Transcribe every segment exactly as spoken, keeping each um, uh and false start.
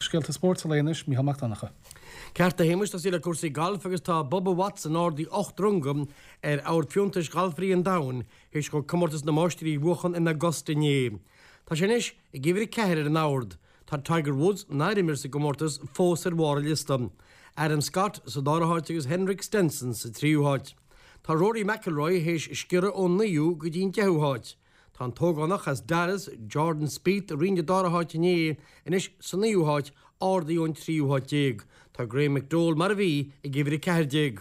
Scéalta spóirt a léann anois Mícheál Mac Donncha. Ceart a Shéamais, tosaí le cúrsaí gailf agus tá Bubba Watson ardaithe ocht runga ar ord fiúntais ghalfairí an domhain théis dó comórtas na máistrí a bhuachan in Augusta inné. Tá sé anois ag uimhir a ceathair ar an ord. Tá Tiger Woods, nár imir sa gcomórtas, fós ar bharr an liosta. Adam Scott sa dara háit agus Henrik Stenson sa tríú háit. Tá Rory McIlroy théis sciorradh ón naoú go dtí an deichiú háit. Tá an t-ógánach as Dallas, Jordan Spieth, a rinne an dara háit inné, anois sa naoú háit, ardaithe ón tríú háit déag. Tá Graham McDowell mar a bhí ag uimhir a ceathair déag.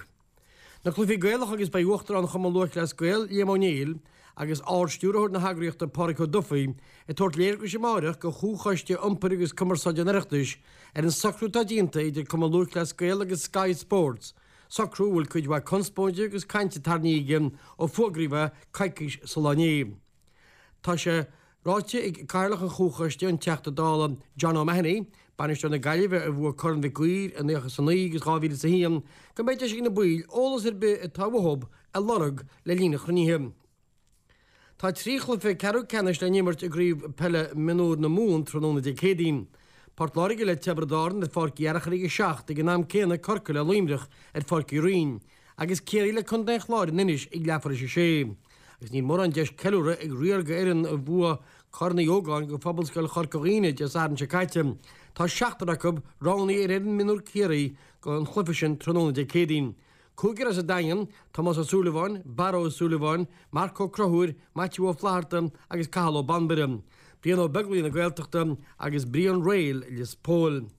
Na cluichí Gaelacha agus beidh Uachtarán Chumann Lúthchleas Gael, Liam Ó Néill, agus Ard-Stiúrthóir na heagraíochta Pádraig Ó Dufaigh ag tabhairt léargais amárach do Chomhchoiste Iompair agus Cumarsáide an Oireachtais ar an socrú atá déanta idir Cumann Lúthchleas Gael agus Sky Sports, socrú a bhfuil cuid mhaith conspóide agus cainte tarraingthe aige ó fógraíodh é coicís sula inné. Tá sé ráite ag Cathaoirleach an Chomhchoiste, an Teachta Dála John O'Mahony, bainisteoir na Gaillimhe a bhuaigh Corn Mhic Uidhir i naocha is a naoi agus dhá mhíle is a haon, go mbeidh deis ag na baill eolas ar bith atá uathu a lorg le linn an chruinnithe. Tá trí chluiche ceathrú ceannais le n-imirt i gCraobh Peile Mionúr na Mumhan tráthnóna Dé Céadaoin. Port Láirge le Tiobraid Árann ar Pháirc Uí Fhearchair ag a seacht, ag an am céanna Corcaigh le Luimneach ar Pháirc Uí Rinn, agus Ciarraí le Contae an Chláir in Inis ag leathuair tar éis a sé. Agus níl mórán deis ceiliúradh ag riar d'fhoireann a bhuaigh Corn Uí Ógáin do Phobalscoil Chorca Dhuibhne Dé Sathairn seo caite. Tá seachtar acu roghnaithe ar fhoireann mionúr Chiarraí don chluiche sin tráthnóna Dé Céadaoin. Cúigear as an Daingean, Tomás Ó Súilleabháin, Barra Ó Súilleabháin, Marc Ó Conchúir, Maitiú Ó Flatharta agus Cathal Ó Banbaire, Brian Ó Beaglaoich na Gaeltachta agus Brian Rayl Lios Póil.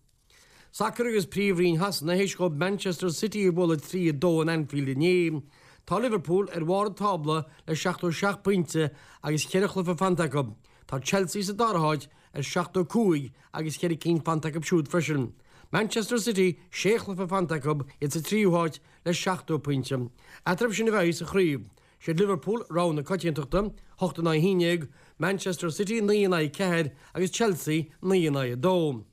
Sacar agus Príomhroinn Shasana théis dóibh Manchester City a bhualadh trí a dó in Anfield inné. Tá Liverpool ar bharr an tábla le seachtó seacht pointe agus ceithre chluiche fanta acu. Tá Chelsea sa dara háit ar seachtó cúig agus ceithre cinn fanta acu siúd freisin. Manchester City sé chluiche fanta acu, iad sa tríú háit le seachtó pointe. Eatarthu sin a bheidh sa chraobh. Siad Liverpool rogha na coitiantachta, hocht in aghaidh a haon déag, Manchester City naoi in aghaidh ceathair agus Chelsea naoi in aghaidh a dó.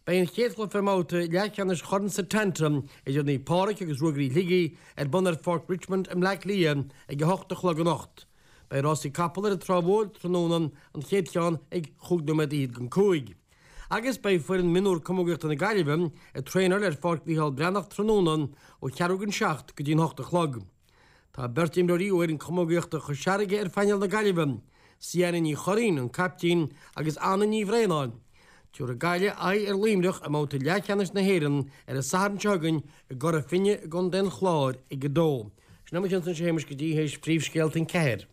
Beidh an chéad chluiche i mbabhta leathcheannais Chorn Setanta idir Naomh Pádraig agus Ruagairí Shligigh ar bun ar Pháirc Richmond i mBleá Cliath ag a hocht a chlog anocht. Beidh rásaí capall ar an Trá Mhór tráthnóna, an chéad cheann ag chúig nóiméad fhichead don cúig. Agus beidh foireann mionúr camógaíochta na Gaillimhe ag traenáil ar Pháirc Mhícheál Breathnach tráthnóna ó cheathrú don seacht go dtí an hocht a chlog. Tá beirt imreoirí ó fhoireann camógaíochta Chois Fharraige ar phainéal na Gaillimhe, Sienna Ní Churraoin, an caiptín, agus Anna Ní Bhraonáin. Tabharfaidh Gaillimh aghaidh ar Luimneach i mbabhta leathcheannais na hÉireann ar an Satharn seo chugainn i gCora Finne i gContae an Chláir ag a dó. Sin é mo chionn-sa a Shéamais go dtí théis phríomhscéalta an ceathair.